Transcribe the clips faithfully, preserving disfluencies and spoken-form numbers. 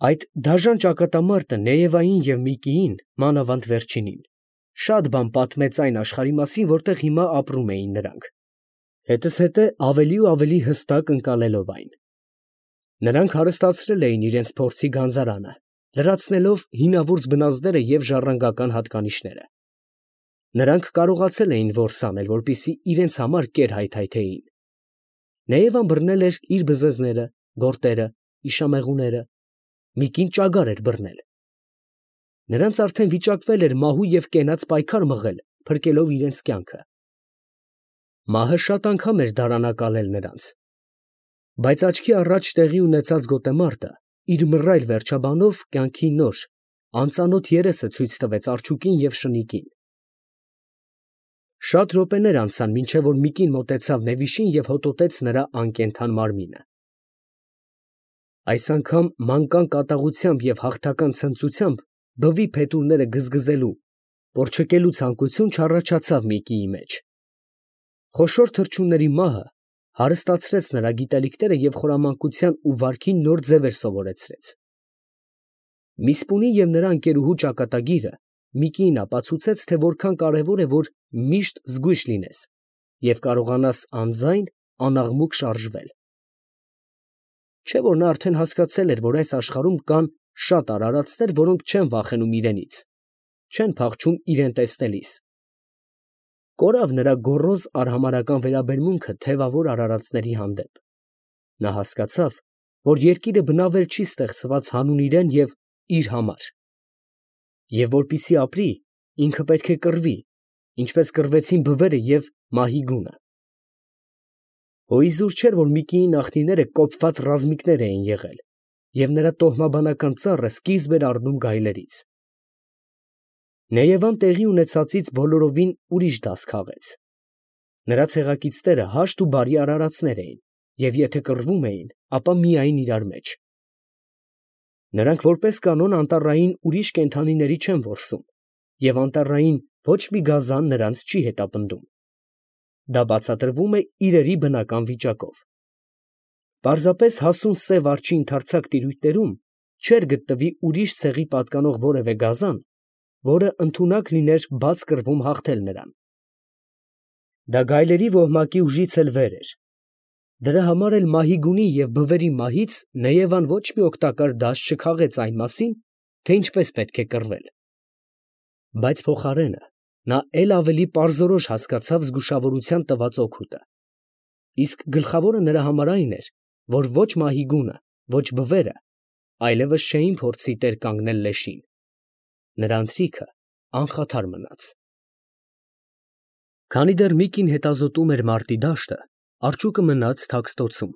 Այդ դաժան ճակատամարտը Նեևային և Միկիին, մանավանդ վերջինին, շատ բան պատմեց այն աշխարհի մասին, որտեղ հիմա ապրում էին նրանք, հետզհետե ավելի ու ավելի հստակ ընկալելով այն. նրանք հարստացրել էին իրենց փորձի գանձարանը, լրացնելով հինավուրց բնազդները և ժառանգական հատկանիշները. նրանք կարողացել էին որս անել, որպեսզի իրենց համար կեր հայթայթեին. Նեևան բռնել էր իր բզեզները, գորտերը, իշամեղուները, Միկին ճագար էր բռնել. նրանց արդեն վիճակվել էր մահու և կենաց պայքար մղել, փրկելով իրենց կյանքը. մահը շատ անգամ էր դարանակալել նրանց, բայց աչքի առաջ տեղի ունեցած գոտեմարտը իր մռայլ վերջաբանով կյանքի նոր, անծանոթ երեսը ցույց տվեց արջուկին և շնիկին. Շատ րոպեներ անցան, մինչև որ Միկին մոտեցավ Նեվիշին և հոտոտեց նրա անկենդան մարմինը. այս անգամ մանկան կատաղությամբ և հաղթական ցնծությամբ բվի փետուրները գզգզելու, պոռչկելու ցանկություն չառաջացավ Միկիի մեջ. խոշոր թռչունների մահը հարստացրեց նրա գիտելիքները և խորամանկության ու վարքի նոր ձևեր սովորեցրեց. Միսպունի և նրա ընկերուհու ճակատագիրը Միկիին ապացուցեց, թե որքան կարևոր է, որ միշտ զգույշ լինես և կարողանաս անձայն, անաղմուկ շարժվել. չէ՞ որ նա արդեն հասկացել էր, որ այս աշխարհում կան շատ արարածներ, որոնք չեն վախենում իրենից, չեն փախչում իրեն տեսնելիս. կորավ նրա գոռոզ արհամարհական վերաբերմունքը թևավոր արարածների հանդեպ. նա հասկացավ, որ երկիրը բնավել չի ստեղծված հանուն իրեն և իր համար, և որպեսզի ապրի, ինքը պետք է կռվի, ինչպես կռվեցին բվերը և Մահիգունը. հոիզուր չէր, որ Միկիի նախնիները կոպված ռազմիկներ էին եղել, և նրա տոհմաբանական ծառը սկիզբ էր առնում գայլերից. Նեևան տեղի ունեցածից բոլորովին ուրիշ դաս քաղեց. նրա ցեղակիցները հաշտ ու բարի արարածներ էին, և եթե կռվում էին, ապա միայն իրար մեջ. նրանք որպես կանոն անտառային ուրիշ կենդանիների չեն որսում, և անտառային ոչ մի գազան նրանց չի հետապնդում. դա բացատրվում է իրերի բնական վիճակով. պարզապես հասուն սև արջի ընդարձակ տիրույթներում չէր գտնվի ուրիշ ցեղի պատկանող որևէ գազան, որը ընդունակ լիներ բաց կռվում հաղթել նրան. դա գայլերի ոհմակի ուժից էլ վեր էր. դրա համար էլ Մահիգունի և բվերի մահից Նեևան ոչ մի օգտակար դաս չքաղեց այն մասին, թե ինչպես պետք է կռվել. բայց փոխարենը նա էլ ավելի պարզորոշ հասկացավ զգուշավորության տված օգուտը. իսկ գլխավորը նրա համար այն էր, որ ոչ Մահիգունը, ոչ բվերը այլևս չէին փորձի տեր կանգնել լեշին. նրա ընթրիքը անխաթար մնաց. Քանի դեռ Միկին հետազոտում էր մարտի դաշտը, արջուկը մնաց թաքստոցում,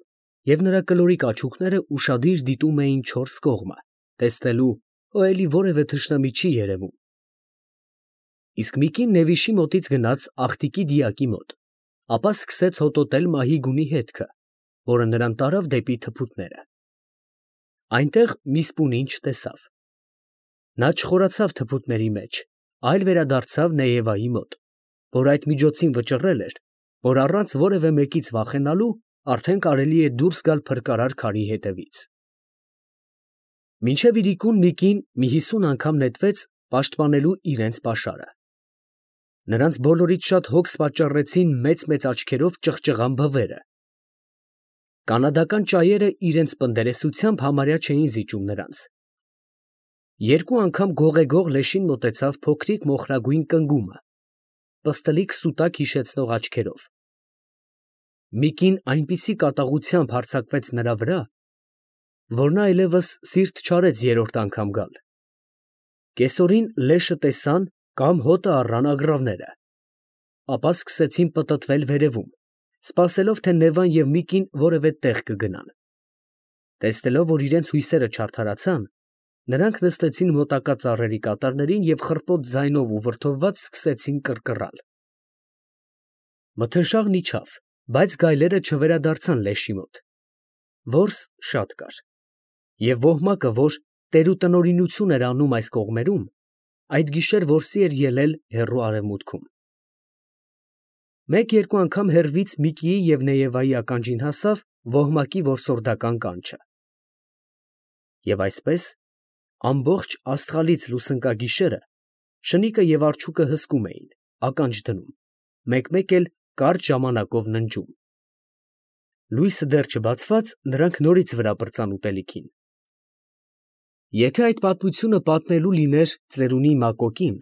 և նրա կլորիկ աչուկները ուշադիր դիտում էին չորս կողմը, տեսնելու, հո էլի որևէ թշնամի չի երևում. իսկ Միկին Նեվիշի մոտից գնաց աղտիկի դիակի մոտ, ապա սկսեց հոտոտել Մահիգունի հետքը, որը նրան տարավ դեպի թփուտները. այնտեղ Միսպունին չտեսավ. նա չխորացավ թփուտների մեջ, այլ վերադարձավ Նեևայի մոտ, որ այդ միջոցին վճռել էր, որ առանց որևէ մեկից վախենալու արդեն կարելի է դուրս գալ փրկարար քարի հետևից. մինչև իրիկուն Միկին մի հիսուն անգամ նետվեց պաշտպանելու իրենց պաշարը. նրանց բոլորից շատ հոգս պատճառեցին մեծ֊մեծ աչքերով ճղճղան բվերը. կանադական ճայերը իրենց պնդերեսությամբ համարյա չէին զիջում նրանց. երկու անգամ գողեգող լեշին մոտեցավ փոքրիկ մոխրագույն կնգումը, պստլիկ սուտակ հիշեցնող աչքերով. Միկին այնպիսի կատաղությամբ հարձակվեց նրա վրա, որ նա այլևս սիրտ չարեց երրորդ անգամ գալ. կեսօրին լեշը տեսան կամ հոտը առան ագռավները, ապա սկսեցին պտտվել վերևում, սպասելով, թե Նևան և Միկին որևէ տեղ կգնան. տեսնելով, որ իրենց հույսերը չարդարացան, նրանք նստեցին մոտակա ծառերի կատարներին և խռպոտ ձայնով ու վրդովված սկսեցին կռկռալ. մթնշաղն իջավ, բայց գայլերը չվերադարձան լեշի մոտ. որս շատ կար, և ոհմակը, որ տերուտնօրինություն էր անում այս կողմերում, այդ գիշեր որսի էր ելել հեռու արևմուտքում. մեկ֊երկու անգամ հեռվից Միկիի և Նեևայի ականջին հասավ ոհմակի որսորդական կանչը. Եվ այսպես, ամբողջ աստղալից լուսնկագիշերը շնիկը և արջուկը հսկում էին, ականջ դնում, մեկ֊մեկ էլ կարճ ժամանակով ննջում։ Լույսը դեռ չբացված, նրանք նորից վրա պրծան ուտելիքին։ Եթե այդ պատմությունը պատմելու լիներ ծերունի Մակոկին,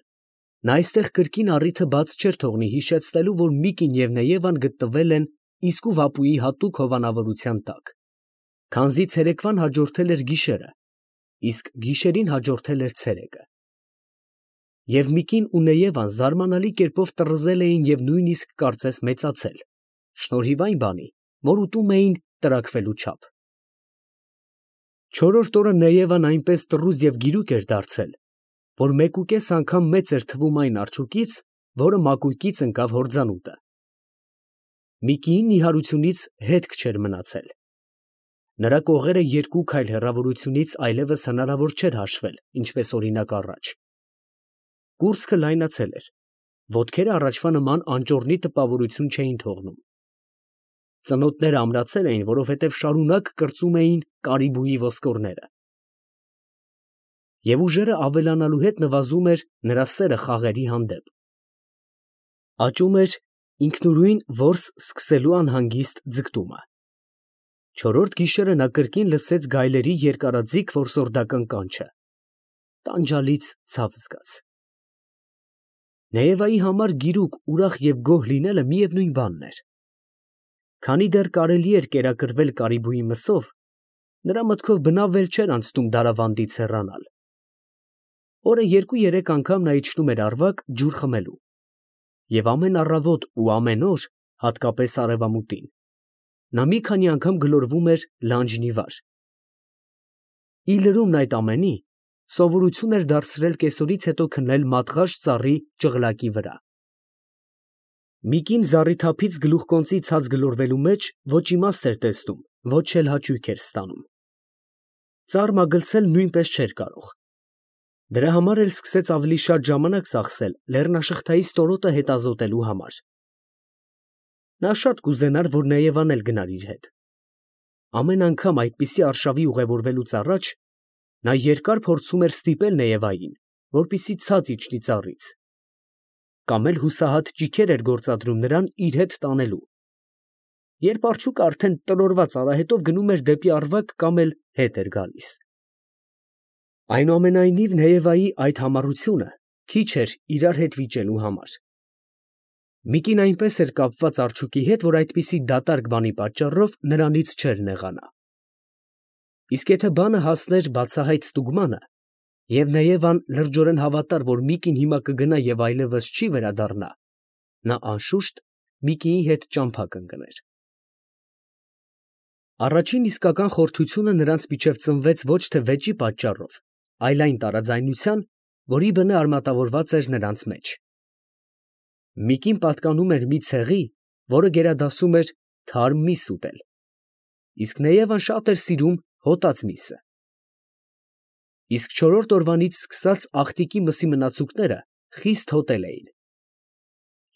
նա այստեղ կրկին առիթը բաց չէր թողնի հիշեցնելու, որ Միկին և Նեևան գտնվել են իսկու Վապուի հատուկ հովանավորության տակ, քանզի ցերեկվան հաջորդել էր գիշերը, իսկ գիշերին հաջորդել էր ցերեկը։ Եվ Միկին ու Նեևան զարմանալի կերպով տռզել էին և նույնիսկ կարծես մեծացել, շնորհիվ այն բանի, որ ուտում էին տրաքվելու չափ։ Չորրորդ օրը Նեևան այնպես տռուզ և գիրուկ էր դարձել, որ մեկուկես անգամ մեծ էր թվում այն արջուկից, որը մակույկից ընկավ հորձանուտը։ Միկիի նիհարությունից հետք չէր մնացել։ Նրա կողերը երկու քայլ հեռավորությունից այլևս հնարավոր չէր հաշվել, ինչպես օրինակ առաջ։ Կուրծքը լայնացել էր, ոտքերը առաջվա նման անճոռնի տպավորություն չէին թողնում։ Ծնոտները ամրացել էին, որովհետև շարունակ կրծում էին կարիբուի ոսկորները։ Եվ ուժերը ավելանալու հետ նվազում էր նրա սերը խաղերի հանդեպ։ Աճում էր ինքնուրույն որս սկսելու անհանգիստ ձգտումը։ Չորրորդ գիշերը նա կրկին լսեց գայլերի երկարաձիգ որսորդական կանչը։ Տանջալից ցավ զգաց։ Նեևայի համար գիրուկ, ուրախ և գոհ լինելը միևնույն բանն էր։ Քանի դեռ կարելի էր կերակրվել կարիբուի մսով, նրա մտքով բնավ էլ չէր անցնում դարավանդից հեռանալ։ Օրը երկու֊երեք անգամ նա իջնում էր Առվակ ջուր խմելու։ Եվ ամեն առավոտ ու ամեն օր, հատկապես արևամուտին, նա մի քանի անգամ գլորվում էր լանջնիվար։ Ի լրումն այդ ամենի, սովորություն էր դարձրել կեսօրից հետո քնել մատղաշ ծառի ճղլակի վրա։ Միկին զառիթափից գլուխկոնծի ցած գլորվելու մեջ ոչ իմաստ էր տեսնում, ոչ էլ հաճույք էր ստանում։ Ծառ մագլցել նույնպես չէր կարող։ Դրա համար էլ սկսեց ավելի շատ ժամանակ ծախսել լեռնաշղթայի ստորոտը հետազոտելու համար։ Նա շատ կուզենար, որ Նեևան էլ գնար իր հետ։ Ամեն անգամ այդպիսի արշավի ուղևորվելուց առաջ նա երկար փորձում էր ստիպել Նեևային, որպեսզի ցած իջնի ծառից, կամ էլ հուսահատ ճիգեր էր գործադրում նրան իր հետ տանելու։ Երբ արջուկը արդեն տրորված արահետով գնում էր դեպի Առվակ կամ էլ հետ էր գալիս։ Այնուամենայնիվ Նեևայի այդ համառությունը քիչ էր իրար հետ վիճելու համար։ Միկին այնպես էր կապված արջուկի հետ, որ այդպիսի դատարկ բանի պատճառով նրանից չէր նեղանա։ Իսկ եթե բանը հասներ բացահայտ ստուգմանը, և Նեևան լրջորեն հավատար, որ Միկին հիմա կգնա և այլևս չի վերադառնա, նա անշուշտ Միկիի հետ ճամփա կընկներ։ Առաջին իսկական խորթությունը նրանց միջև ծնվեց ոչ թե վեճի պատճառով, այլ այն տարաձայնության, որի բնը արմատավորված էր նրանց մեջ։ Միկին պատկանում էր մի ցեղի, որը գերադասում էր թարմ միս ուտել, իսկ Նեևան շատ էր սիրում հոտած միսը։ Իսկ չորրորդ օրվանից սկսած աղտիկի մսի մնացուկները խիստ հոտել էին։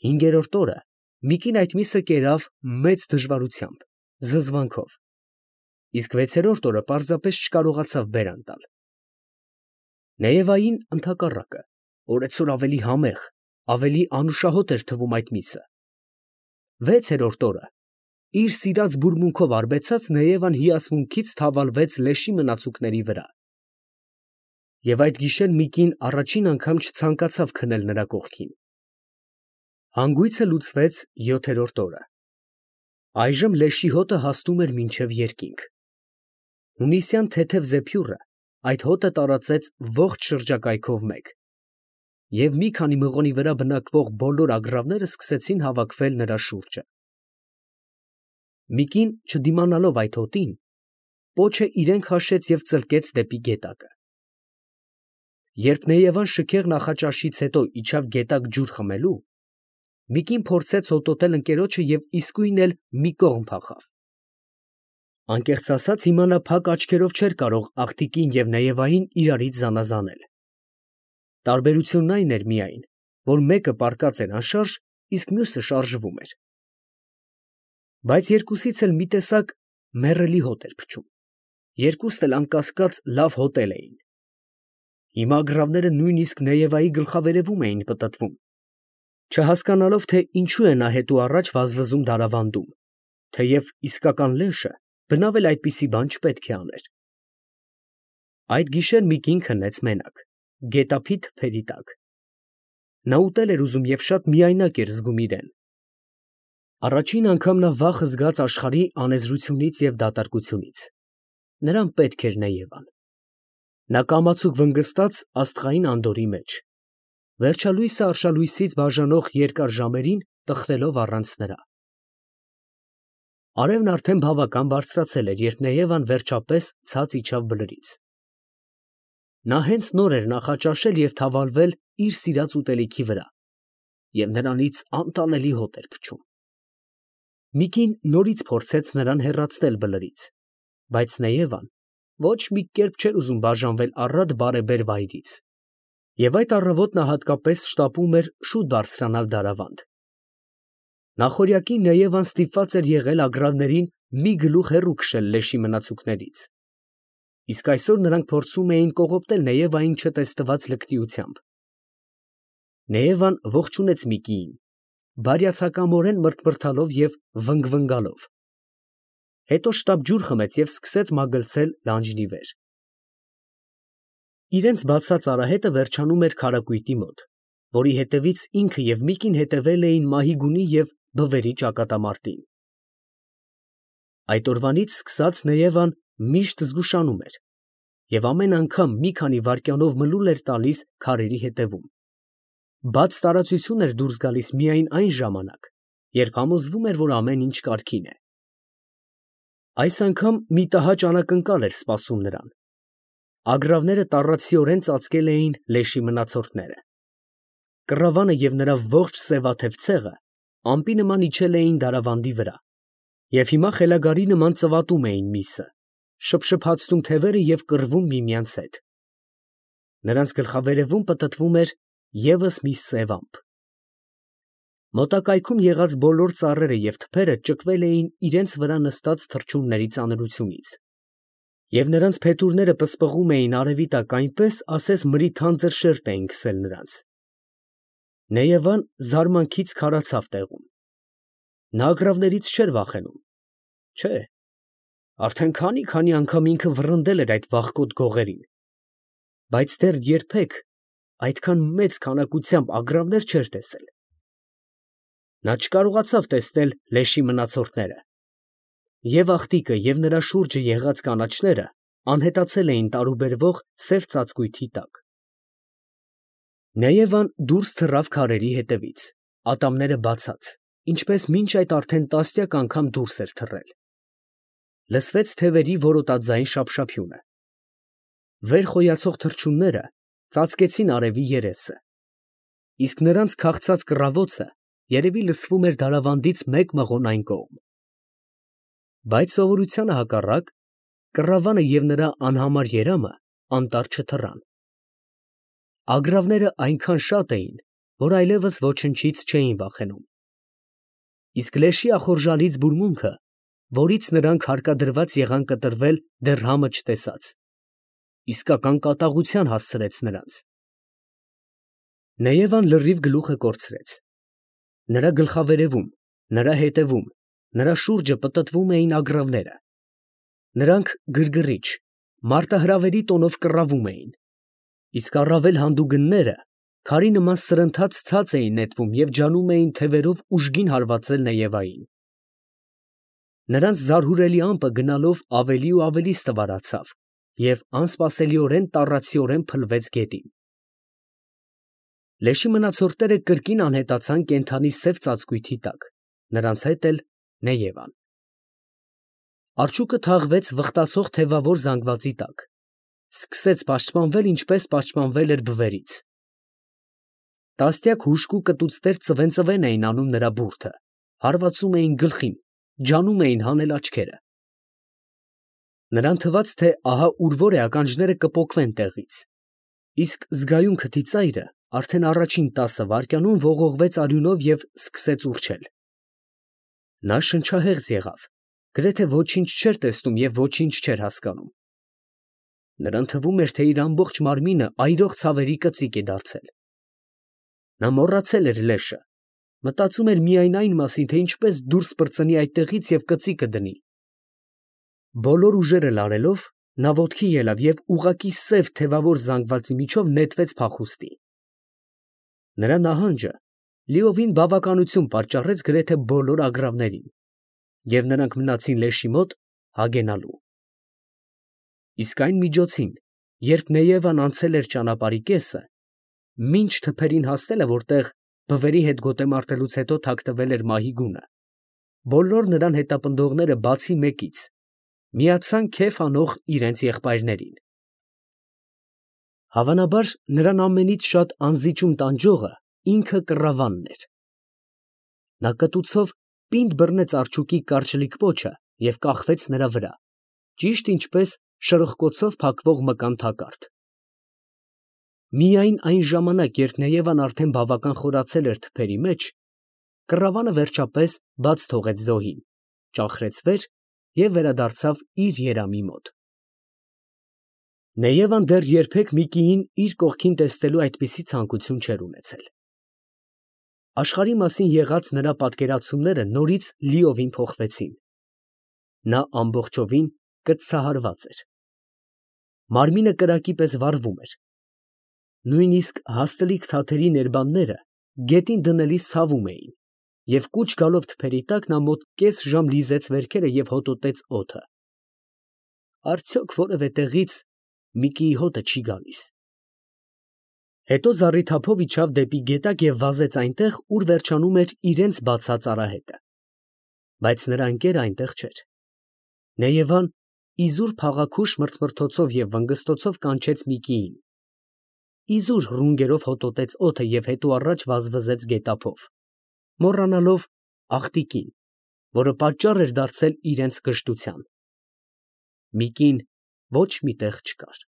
Հինգերորդ օրը Միկին այդ միսը կերավ մեծ դժվարությամբ, զզվանքով, իսկ վեցերորդ օրը պարզապես չկարողացավ բերան տալ։ Նեևային ընդհակառակը, օրեցօր ավելի համեղ, ավելի անուշահոտ էր թվում այդ միսը։ Վեցերորդ օրը, իր սիրած բուրմունքով արբեցած, Նեևան հիացմունքից թավալվեց լեշի մնացուկների վրա։ Եվ այդ գիշեր Միկին առաջին անգամ չցանկացավ քնել նրա կողքին։ Հանգույցը լուծվեց յոթերորդ օրը։ Այժմ լեշի հոտը հասնում էր մինչև երկինք։ Հունիսյան թեթև զեփյուռը այդ հոտը տարածեց ողջ շրջակայքով մեկ, և մի քանի մղոնի վրա բնակվող բոլոր ագռավները սկսեցին հավաքվել նրա շուրջը։ Միկին, չդիմանալով այդ հոտին, պոչը իրեն քաշեց և ծլկեց դեպի գետակը։ Երբ Նեևան շքեղ նախաճաշից հետո իջավ գետակ ջուր խմելու, Միկին փորձեց հոտոտել ընկերոջը և իսկույն էլ մի կողմ փախավ։ Անկեղծ ասած, հիմա նա փակ աչքերով չէր կարող աղտիկին և Նեևային իրարից զանազանել։ Տարբերությունն այն էր միայն, որ մեկը պառկած էր անշարժ, իսկ մյուսը շարժվում էր։ Բայց երկուսից էլ մի տեսակ մեռելի հոտ էր փչում, երկուսն էլ անկասկած լավ հոտել էին։ Հիմա ագռավները նույնիսկ Նեևայի գլխավերևում էին պտտվում, չհասկանալով, թե ինչու է նա հետո առաջ վազվզում դարավանդում, թեև իսկական լեշը բնավ էլ այդպիսի բան չպետք է աներ։ Այդ գիշեր Միկին քնեց մենակ, գետափի թփերի տակ։ Նա ուտել էր ուզում և շատ միայնակ էր զգում իրեն։ Առաջին անգամ նա վախ զգաց աշխարհի անեզրությունից և դատարկությունից։ Նրան պետք էր Նեևան։ Նա կամացուկ վնգստաց աստղային անդորի մեջ, վերջալույսը արշալույսից բաժանող երկար ժամերին տխրելով առանց նրա։ Արևն արդեն բավական բարձրացել էր, երբ Նեևան վերջապես ցած իջավ բլրից։ Նա հենց նոր էր նախաճաշել և թավալվել իր սիրած ուտելիքի վրա, և նրանից անտանելի հոտ էր փչում։ Միկին նորից փորձեց նրան հեռացնել բլրից, բայց Նեևան ոչ մի կերպ չէր ուզում բաժանվել առատ բարեբեր վայրից, և այդ առավոտ նա հատկապես շտապում էր շուտ բարձրանալ դարավանդ։ Նախօրյակին Նեևան ստիպված էր եղել ագռավներին մի գլուխ հեռու քշել լեշի մնացուկներից, իսկ այսօր նրանք փորձում էին կողոպտել Նեևային չտեսնված լկտիությամբ։ Նեևան ողջունեց Միկիին, բարյացակամորեն մրթմրթալով և վնգվնգալով, հետո շտապ ջուր խմեց և սկսեց մագլցել լանջն ի վեր։ Իրենց բացած արահետը վերջանում էր քարակույտի մոտ, որի հետևից ինքը և Միկին հետևել էին Մահիգունի և Բվերի ճակատամարտին։ Այդ օրվանից սկսած Նեևան միշտ զգուշանում էր և ամեն անգամ մի քանի վայրկյանով մլուլ էր տալիս քարերի հետևում։ Բաց տարածություն էր դուրս գալիս միայն այն ժամանակ, երբ համոզվում էր, որ ամեն ինչ կարգին է։ Այս անգամ մի տհաճ անակնկալ էր սպասում նրան։ Ագռավները տառացիորեն ծածկել էին լեշի մնացորդները։ Կռավանը և նրա ողջ սևաթև ցեղը ամպի նման իջել էին դարավանդի վրա և հիմա խելագարի նման ծվատում էին միսը, շփշփացնում թևերը և կռվում միմյանց հետ։ Նրանց գլխավերևում պտտվում էր ևս մի սև ամպ։ Մոտակայքում եղած բոլոր ծառերը և թփերը ճկվել էին իրենց վրա նստած թռչունների ծանրությունից, և նրանց փետուրները պսպղում էին արևի տակ այնպես, ասես մրի թանձր շերտ էին քսել նրանց։ Նեևան զարմանքից քարացավ տեղում։ Նա ագռավներից չէր վախենում, չէ, արդեն քանի֊քանի անգամ ինքը վռնդել էր այդ վախկոտ գողերին, բայց դեռ երբեք այդքան մեծ քանակությամբ ագռավներ չէր տեսել։ Նա չկարողացավ տեսնել լեշի մնացորդները։ Եվ աղտիկը, և նրա շուրջը եղած կանաչները անհետացել էին տարուբերվող սև ծածկույթի տակ։ Նեևան դուրս թռավ քարերի հետևից, ատամները բացած, ինչպես մինչ այդ արդեն տասնյակ անգամ դուրս էր թռել։ Լսվեց թևերի որոտաձայն շափշափյունը։ Վեր խոյացող թռչունները ծածկեցին արևի երեսը, իսկ նրանց քաղցած կռավոցը երևի լսվում էր դարավանդից մեկ մղոն այն կողմ։ Բայց սովորությանը հակառակ, կռավանը և նրա անհամար երամը անտառ չթռան։ Ագռավները այնքան շատ էին, որ այլևս ոչնչից չէին վախենում։ Իսկ լեշի ախորժալից բուրմունքը, որից նրանք հարկադրված եղան կտրվել դեռ համը չտեսած, իսկական կատաղության հասցրեց նրանց։ Նեևան լրիվ գլուխը կորցրեց։ Նրա գլխավերևում, նրա հետևում, նրա շուրջը պտտվում էին ագռավները։ Նրանք գրգռիչ, մարտահրավերի տոնով կռավում էին, իսկ առավել հանդուգնները քարի նման սրընթաց ցած էին նետվում և ջանում էին թևերով ուժգին հարվածել Նեևային։ Նրանց զարհուրելի ամպը գնալով ավելի ու ավելի ստվարացավ և անսպասելիորեն տառացիորեն փլվեց գետին։ Լեշի մնացորդները կրկին անհետացան կենդանի սև ծածկույթի տակ, նրանց հետ էլ Նեևան։ Արջուկը թաղվեց վխտացող թևավոր զանգվածի տակ, սկսեց պաշտպանվել, ինչպես պաշտպանվել էր Բվերից։ Տասնյակ հուժկու կտուцներ ծվեն֊ծվեն էին անում նրա բուրդը, հարվածում էին գլխին, ջանում էին հանել աչքերը։ Նրան թվաց, թե ահա ուր որ է ականջները կպոկվեն տեղից, իսկ զգայուն քթի ծայրը արդեն առաջին տասը վայրկյանում ողողվեց արյունով և սկսեց ուռչել։ Նա շնչահեղձ եղավ, գրեթե ոչինչ չէր տեսնում և ոչինչ չէր հասկանում։ Նրան թվում էր, թե իր ամբողջ մարմինը այրող ցավերի կծիկ է դարձել։ Նա մոռացել էր լեշը, մտածում էր միայն այն մասին, թե ինչպես դուրս պրծնի այդտեղից և կծիկը դնի։ Բոլոր ուժերը լարելով, նա ոտքի ելավ և ուղղակի սև թևավոր զանգվածի միջով նետվեց փախուստի։ Նրա նահանջը լիովին բավականություն պատճառեց գրեթե բոլոր ագռավներին, և նրանք մնացին լեշի մոտ հագենալու։ Իսկ այն միջոցին, երբ Նեևան անցել էր ճանապարհի կեսը, մինչ թփերին հասնելը, որտեղ բվերի հետ գոտեմարտելուց հետո թաքնվել էր մահի գունը, բոլոր նրան հետապնդողները բացի մեկից միացան քեֆ անող իրենց եղբայրներին։ Հավանաբար, նրան ամենից շատ անզիջում տանջողը ինքը կռավանն էր։ Նա կտուցով պինդ բռնեց արջուկի կարճլիկ պոչը և կախվեց նրա վրա, ճիշտ ինչպես շրխկոցով փակվող մկան թակարդ։ Միայն այն ժամանակ, երբ Նեևան արդեն բավական խորացել էր թփերի մեջ, կռավանը վերջապես բաց թողեց զոհին, ճախրեց վեր և վերադարձավ իր երամի մոտ։ Նեևան դեռ երբեք մի կիին իր կողքին տեսնելու այդպիսի ցանկություն չէր ունեցել։ Աշխարհի մասին եղած նրա պատկերացումները նորից լիովին փոխվեցին։ Նա ամբողջովին կծցահարված էր։ Մարմինը կրակի պես վառվում էր։ Նույնիսկ հաստլիկ թաթերի ներբանները գետին դնելիս ցավում էին, և կուչ գալով թփերի տակ, նա մոտ կես ժամ լիզեց վերքերը և հոտոտեց օդը։ Արդյոք որևէ տեղից Միկիի հոտը չի գալիս։ Հետո զառիթափով իջավ դեպի գետակ և վազեց այնտեղ, ուր վերջանում էր իրենց բացած արահետը։ Բայց նրա ընկերը այնտեղ չէր։ Նեևան իզուր փաղաքուշ մրթմրթոցով և վնգստոցով կանչեց Միկիին։ Իզուր ռունգերով հոտոտեց օդը և հետո առաջ վազվզեց գետափով, մոռանալով աղտիկին, որը պատճառ էր դարձել իրենց կժտության։ Միկին ոչ մի տեղ չկար։